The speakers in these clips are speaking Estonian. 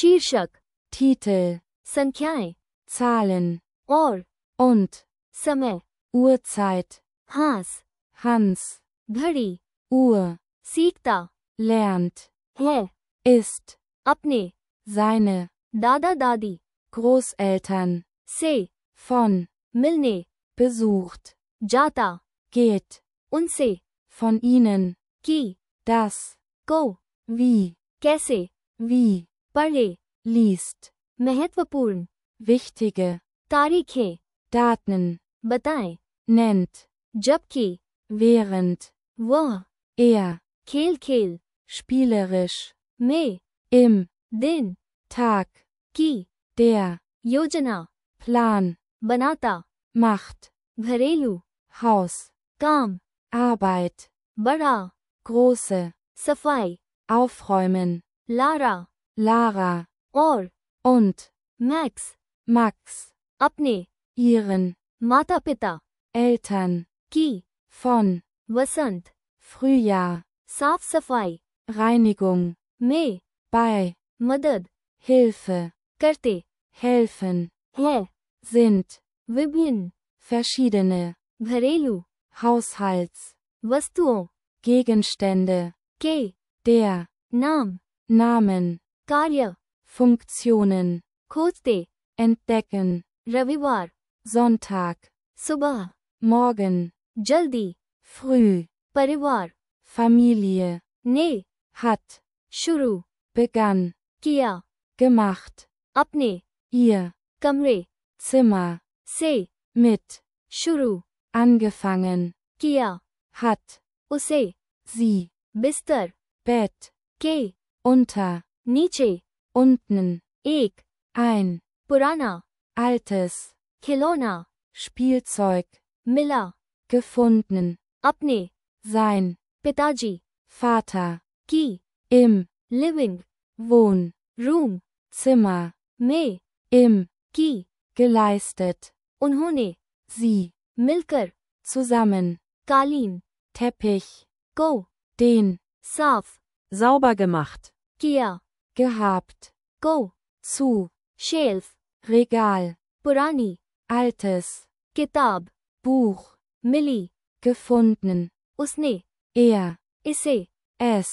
शीर्षक, Titel, संख्याएं, Zahlen और und समय, Uhrzeit, हास, Hans, घड़ी, Uhr, सीखता lernt, है, ist, अपने seine दादा दादी Großeltern, से von, मिलने besucht, जाता, geht, उनसे von ihnen, की das, को wie, कैसे wie, पढ़े, liest, महत्वपूर्ण wichtige, तारीखें Daten, बताएं, nennt, जबकि während, वह er, खेल खेल spielerisch, में im, दिन Tag, की der, योजना Plan, बनाता, macht, घरेलू Haus, काम Arbeit, बड़ा große, सफाई aufräumen, लारा Lara, और und, मैक्स Max, अपने ihren, माता पिता Eltern, की von, वसंत Frühjahr, साफ सफाई Reinigung, में bei, मदद Hilfe, करते helfen, हैं, sind, विभिन्न verschiedene, घरेलू Haushalts, वस्तुओं Gegenstände, के der, नाम Namen, कार्य Funktionen, खोजते entdecken, रविवार Sonntag, सुबह morgen, जल्दी früh, परिवार Familie, ने hat, शुरू begann, किया gemacht, अपने ihr, कमरे Zimmer, से mit, शुरू angefangen, किया hat, उसे sie, बिस्तर Bett, के unter, नीचे unten, एक ein, पुराना altes, खिलौना Spielzeug, मिला gefunden, अपने sein, पिताजी Vater, की im, living Wohn, room Zimmer, में im, की geleistet, उन्होंने sie, मिलकर zusammen, कालीन Teppich, को den, साफ sauber gemacht, किया gehabt, को zu, शेल्फ Regal, पुरानी altes, किताब Buch, मिली gefunden, उसने er, इसे es,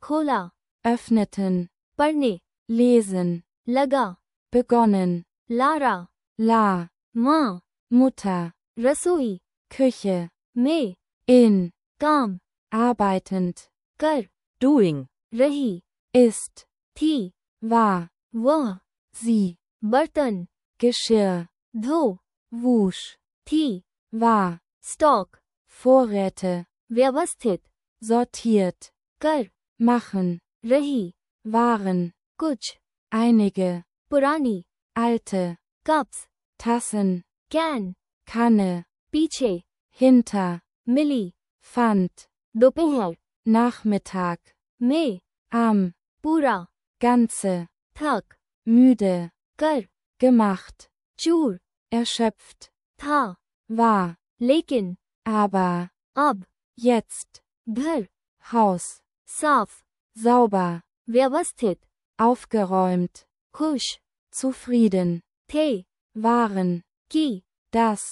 खोला öffneten, पढ़ने lesen, लगा begonnen, लारा la, माँ Mutter, रसोई Küche, में in, काम arbeitend, कर doing, रही ist, थी war, वह sie, बर्तन Geschirr, धो wusch, थी war, स्टॉक Vorräte, व्यवस्थित sortiert, कर machen, रही waren, कुछ einige, पुरानी alte, cups Tassen, can Kanne, पीछे hinter, मिली fand, दोपहर Nachmittag, में am, पूरा ganze, थक müde, कर gemacht, चूर erschöpft, था war, लेकिन aber, अब jetzt, घर Haus, साफ sauber, व्यवस्थित aufgeräumt, खुश zufrieden, थे waren, कि das,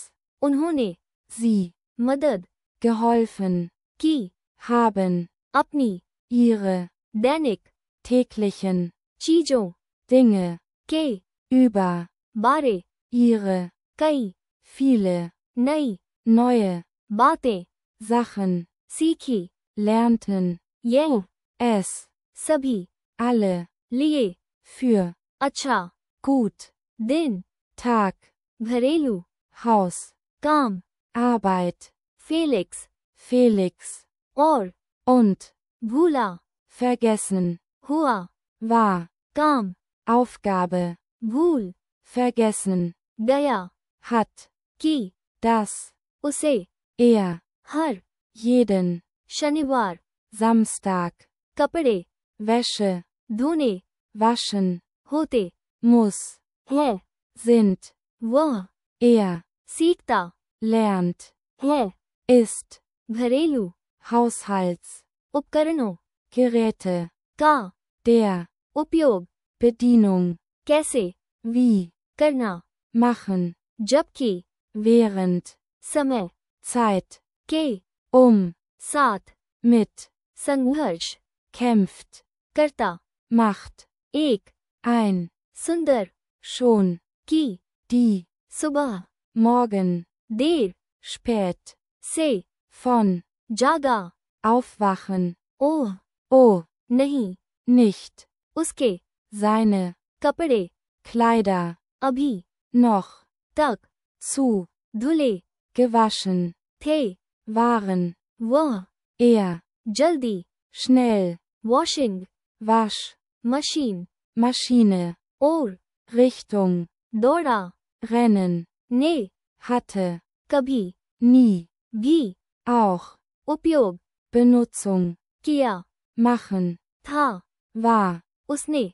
उन्होंने sie, मदद geholfen, की haben, अपनी ihre, दैनिक täglichen, चीजों Dinge, के über, बारे ihre, कई viele, नई neue, बातें Sachen, सीखी lernten, यह es, सभी alle, लिए für, अच्छा gut, दिन Tag, घरेलू Haus, काम Arbeit, फेलिक्स Felix, और und, भूला vergessen, हुआ war, काम Aufgabe, भूल vergessen, गया hat, कि das, उसे er, हर jeden, शनिवार Samstag, कपड़े Wäsche, धोने waschen, होते muss, है sind, वह er, सीखता lernt, है ist, घरेलू Haushalts, उपकरणों Geräte, का der, उपयोग Bedienung, कैसे, wie, करना, machen, जबकि, während, समय, Zeit, के, साथ, mit, संघर्ष, kämpft, करता, macht, एक, ein, सुंदर, schon, की, die, सुबह, morgen, देर, spät, से, von, जागा, aufwachen, ओह, oh, नहीं, nicht, उसके, seine, कपड़े, Kleider, अभी, noch, तक, zu, धुले, gewaschen, थे, waren, वह, जल्दी, schnell, washing, wasch, machine, Maschine, और, Richtung, दौड़ा, rennen, ने, hatte, कभी, nie, भी, auch, उपयोग, Benutzung, किया, machen, था, war, उसने,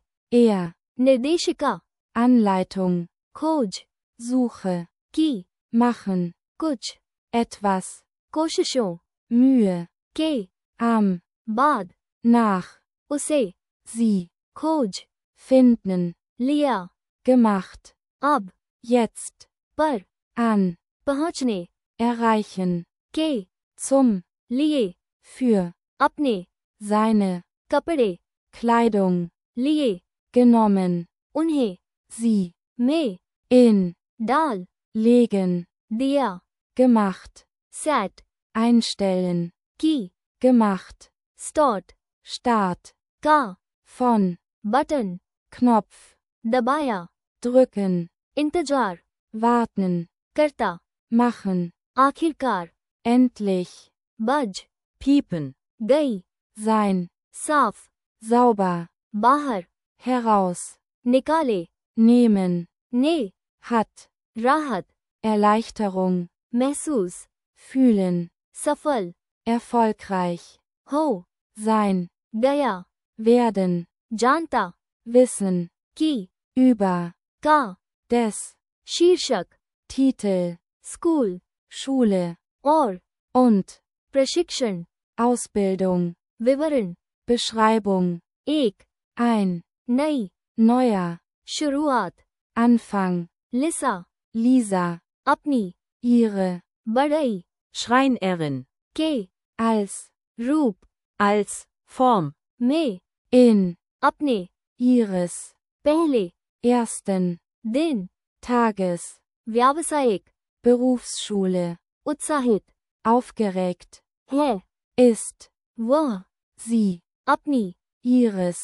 निर्देशिका, Anleitung, खोज, Suche, की, machen, कुछ, etwas, कोशिशों, Mühe, के, am, बाद, nach, उसे, sie, खोज, finden, लिया, gemacht, अब, jetzt, पर, an, पहुंचने, erreichen, के, zum, लिए, für, अपने, seine, कपड़े, Kleidung, लिए, genommen, उन्हें, sie, में, in, डाल, legen, दिया, gemacht, सेट, einstellen, की, gemacht, स्टार्ट, Start, का, von, बटन, Knopf, दबाया, drücken, इंतजार, warten, करता, machen, आखिरकार, endlich, बज, Piepen. गई, sein, साफ, sauber, बाहर, heraus, निकाले, nehmen, ने, hat, राहत, Erleichterung, महसूस, fühlen, सफल, erfolgreich, हो, sein, गया, werden, जानता, wissen, की, über, का, des, शीर्षक, Titel, स्कूल, Schule, और, und, प्रशिक्षण, Ausbildung, विवरण, Beschreibung, एक, ein, नई, neuer, शुरुआत, Anfang, लिसा, Lisa, अपनी, ihre, बढ़ई, Schreinerin. के, als, रूप, Als Form. में, in, अपने, ihres, पहले, ersten, दिन, Tages, व्यावसायिक, Berufsschule, उत्साहित, aufgeregt, है, ist, वह, sie, अपनी, ihres,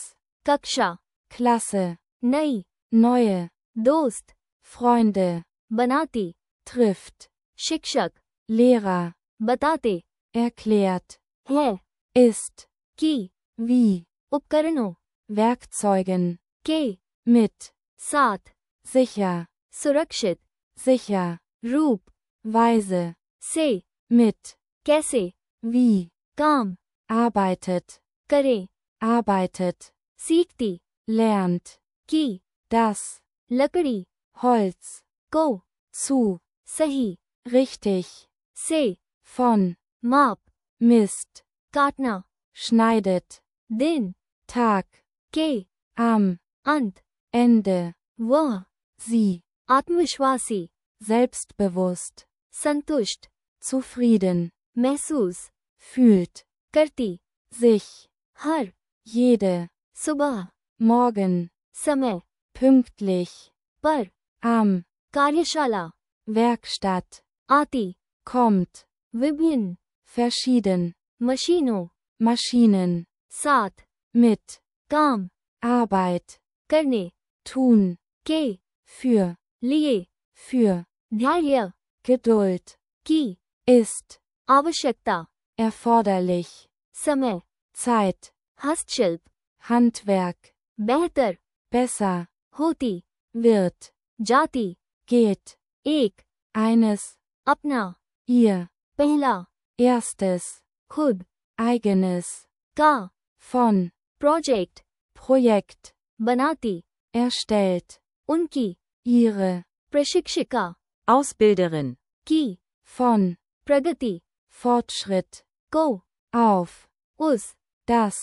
कक्षा, Klasse, नई, neue, दोस्त, Freunde, बनाती, trifft, शिक्षक, Lehrer, बताते, erklärt, है, ist, की, wie, उपकरणों, Werkzeugen, के, mit, साथ, sicher, सुरक्षित, sicher, रूप, weise, से, mit, कैसे, wie, काम, arbeitet, करे, arbeitet, सीखती, lernt, की, das, लकड़ी, Holz, को, zu, सही, richtig, से, von, माप, misst, काटना, schneidet, दिन, Tag, के, am, अंत, Ende, वह, sie, आत्मविश्वासी, selbstbewusst, संतुष्ट, zufrieden, महसूस, fühlt, करती, sich, हर, jede, सुबह, morgen, समय, pünktlich, पर, am, कार्यशाला, Werkstatt, आती, kommt, विभिन्न, verschieden, मशीनों, Maschinen, साथ, mit, काम, Arbeit, करने, tun, के, für, लिए, für, धैर्य, Geduld, की, ist, आवश्यकता, erforderlich, समय, Zeit, हस्तशिल्प, Handwerk, बेहतर, besser, होती, wird, जाती, geht, एक, eines, अपना, ihr, पहला, erstes, खुद, eigenes, का, von, प्रोजेक्ट, Projekt, बनाती, erstellt, उनकी, ihre, प्रशिक्षिका, Ausbilderin. की, von, प्रगति, Fortschritt, को, auf, उस, das,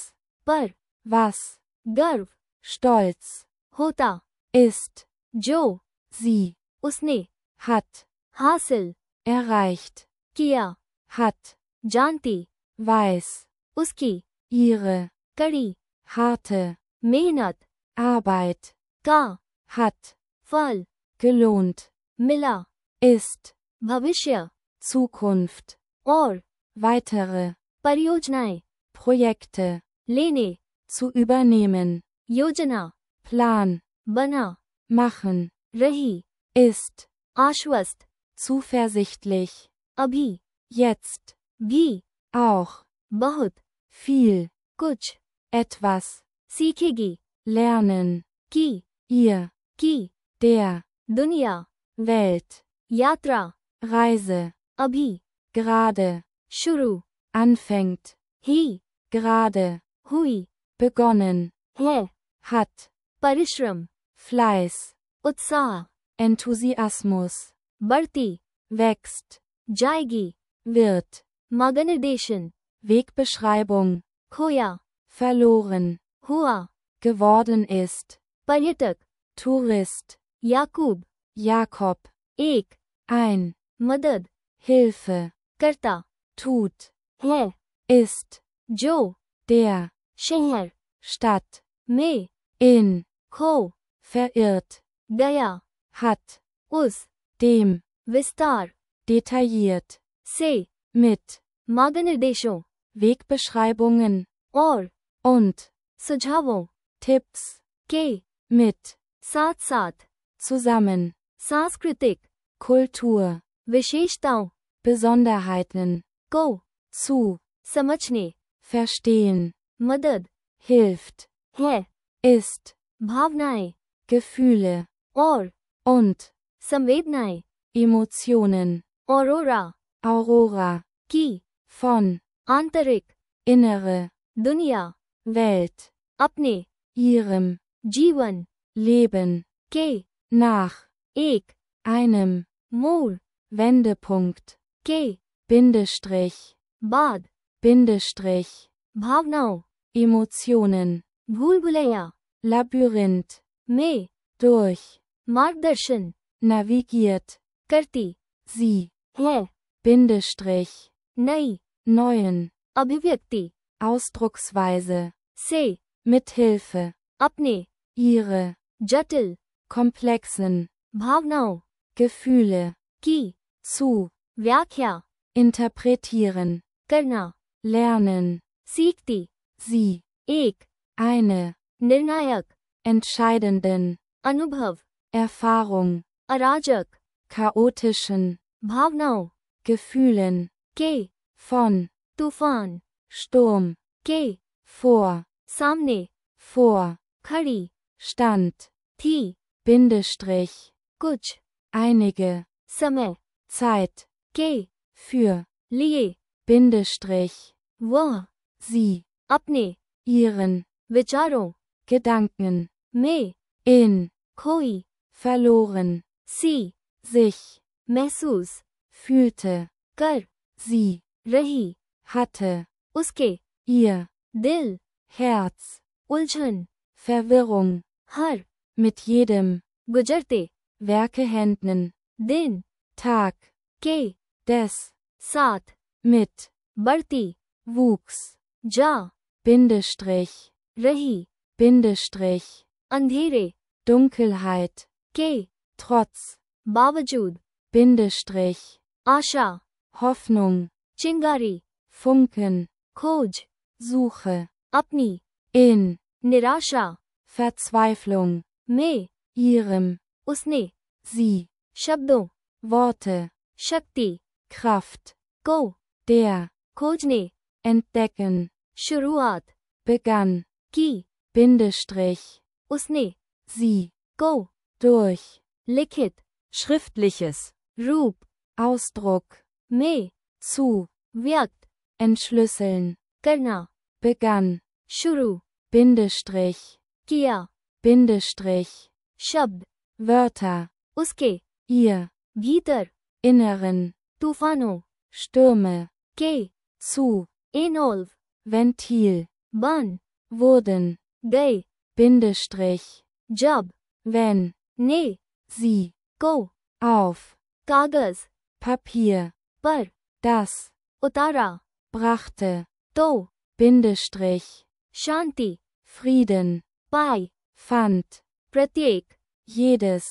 पर, was, गर्व, stolz, होता, ist, जो, sie, उसने, hat, हासिल, erreicht, किया, hat, जानती, weiß, उसकी, ihre, कड़ी, harte, मेहनत, Arbeit, का, hat, फल, gelohnt, मिला, ist, भविष्य, Zukunft, और, weitere, परियोजनाएं, Projekte, लेने, zu übernehmen, योजना, Plan, बना, machen, रही, ist, आश्वस्त, zuversichtlich, अभी, jetzt, भी, auch, बहुत, viel, कुछ, etwas, सीखेगी, lernen, की, ihr, की, der, दुनिया, Welt, यात्रा, Reise, अभी, gerade, शुरू, anfängt, ही, gerade, हुई, begonnen, है, hat, परिश्रम, Fleiß, उत्साह, Enthusiasmus, बढ़ती, wächst, जाएगी, wird, मार्गनिर्देशन, Wegbeschreibung, खोया, verloren, हुआ, geworden ist, पर्यटक, Tourist, याकूब, Jakob, एक, ein, मदद, Hilfe, करता, tut, है, ist, जो, der, शहर, Stadt, में, in, खो, verirrt, गया, hat, उस, dem, विस्तार, detailliert, से, mit, मार्गनिर्देशों, Wegbeschreibungen, और, und, सुझावों, Tipps, के, mit, साथ साथ, zusammen, सांस्कृतिक, Kultur, विशेषताओं, Besonderheiten, को, zu, समझने, verstehen, मदद, hilft, है, ist, भावनाएं, Gefühle, और, und, संवेदनाएं, Emotionen, औरोरा, Aurora, की, von, आंतरिक, innere, दुनिया, Welt, अपने, ihrem, जीवन, Leben, के, nach, एक, einem, मोड़, Wendepunkt, के, Bindestrich, बाद, Bindestrich, भावनाओं, Emotionen, भूल भुलैया, Labyrinth, में, durch, मार्गदर्शन, navigiert, करती, sie, है, Bindestrich, नई, neuen, अभिव्यक्ति, Ausdrucksweise, से, mithilfe, अपने, ihre, जटिल, komplexen, भावनाओं, Gefühle, की, zu, व्याख्या, interpretieren, करना, lernen, सीखती, sie, एक, eine, निर्णायक, entscheidenden, अनुभव, Erfahrung, अराजक, chaotischen, भावनाओं, Gefühlen, के, von, तूफान, Sturm, के, vor, सामने, vor, खड़ी, stand, थी, Bindestrich, कुछ, einige, समय, Zeit, के, für, लिए, Bindestrich, वह, sie, अपने, ihren, विचारों, Gedanken, में, in, खोई, verloren, सी, sich, महसूस, fühlte, कर, sie, रही, hatte, उसके, ihr, दिल, Herz, उलझन, Verwirrung, हर, mit jedem, गुजरते, Werkehänden, दिन, Tag, के, des, साथ, mit, बढ़ती, wuchs, जा, Bindestrich, रही, Bindestrich, अंधेरे, Dunkelheit, के, trotz, बावजूद, Bindestrich, आशा, Hoffnung, चिंगारी, Funken, खोज, Suche, अपनी, in, निराशा, Verzweiflung, में, ihrem, उसने, sie, शब्दों, Worte, शक्ति, Kraft, को, der, खोजने, entdecken, शुरुआत, begann, की, Bindestrich, उसने, sie, को, durch, लिखित, Schriftliches. रूप, Ausdruck, में, zu, व्यक्त, entschlüsseln, करना, begann, शुरू, Bindestrich, किया, Bindestrich, शब्द, Wörter, उसके, ihr, भीतर, inneren, तूफानों, Stürme, के, zu, इनोल्व, Ventil, बन, wurden, गए, Bindestrich, जब, wenn, ने, sie, को, auf, कागज, Papier, पर, das, उतारा, brachte, तो, Bindestrich, शांति, Frieden, पाई, fand, प्रत्येक, jedes,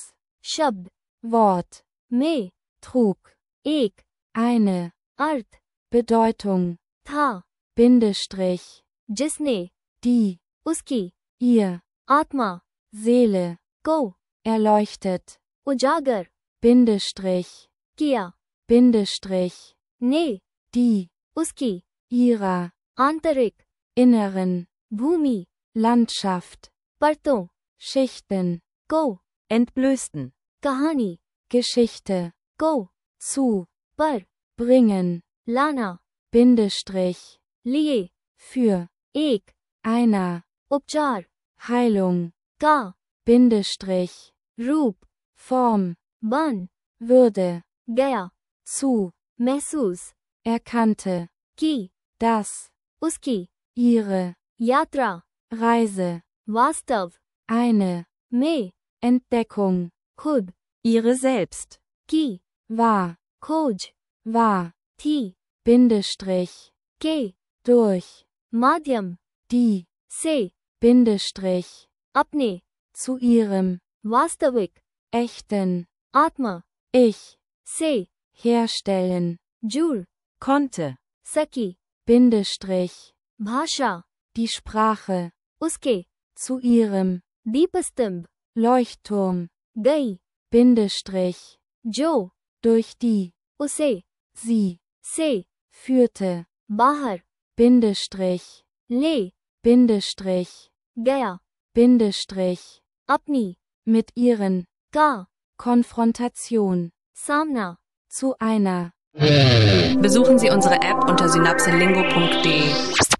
शब्द, Wort, में, trug, एक, eine, अर्थ, Bedeutung, था, Bindestrich, जिसने, die, उसकी, ihr, आत्मा, Seele, को, erleuchtet, उजागर, Bindestrich, किया, Bindestrich, ने, die, उसकी, ihrer, आंतरिक, inneren, भूमि, Landschaft, परतों, Schichten, को, Entblößten. कहानी, Geschichte, को, zu, पर, bringen, लाना, Bindestrich, लिए, für, एक, einer, उपचार, Heilung, का, Bindestrich, रूप, Form, बन, Würde, गया, zu, महसूस, erkannte, की, das, उसकी, ihre, यात्रा, Reise, वास्तव, eine, में, Entdeckung, खुद, Ihre selbst. की, war, खोज, war, थी, Bindestrich, के, durch, माध्यम, die, से, Bindestrich, अपने, zu ihrem, वास्तविक, echten, आत्मा, Ich, से, herstellen, जुड़, Konnte. सकी, Bindestrich, भाषा, die Sprache, उसके, zu ihrem, दीपस्तंभ, Leuchtturm, गई, Bindestrich, जो, durch die, उसे, sie, से, führte, बाहर, Bindestrich, ले, Bindestrich, गया, Bindestrich, अपनी, mit ihren, का, Konfrontation, सामना, zu einer, Besuchen Sie unsere App unter synapselingo.de.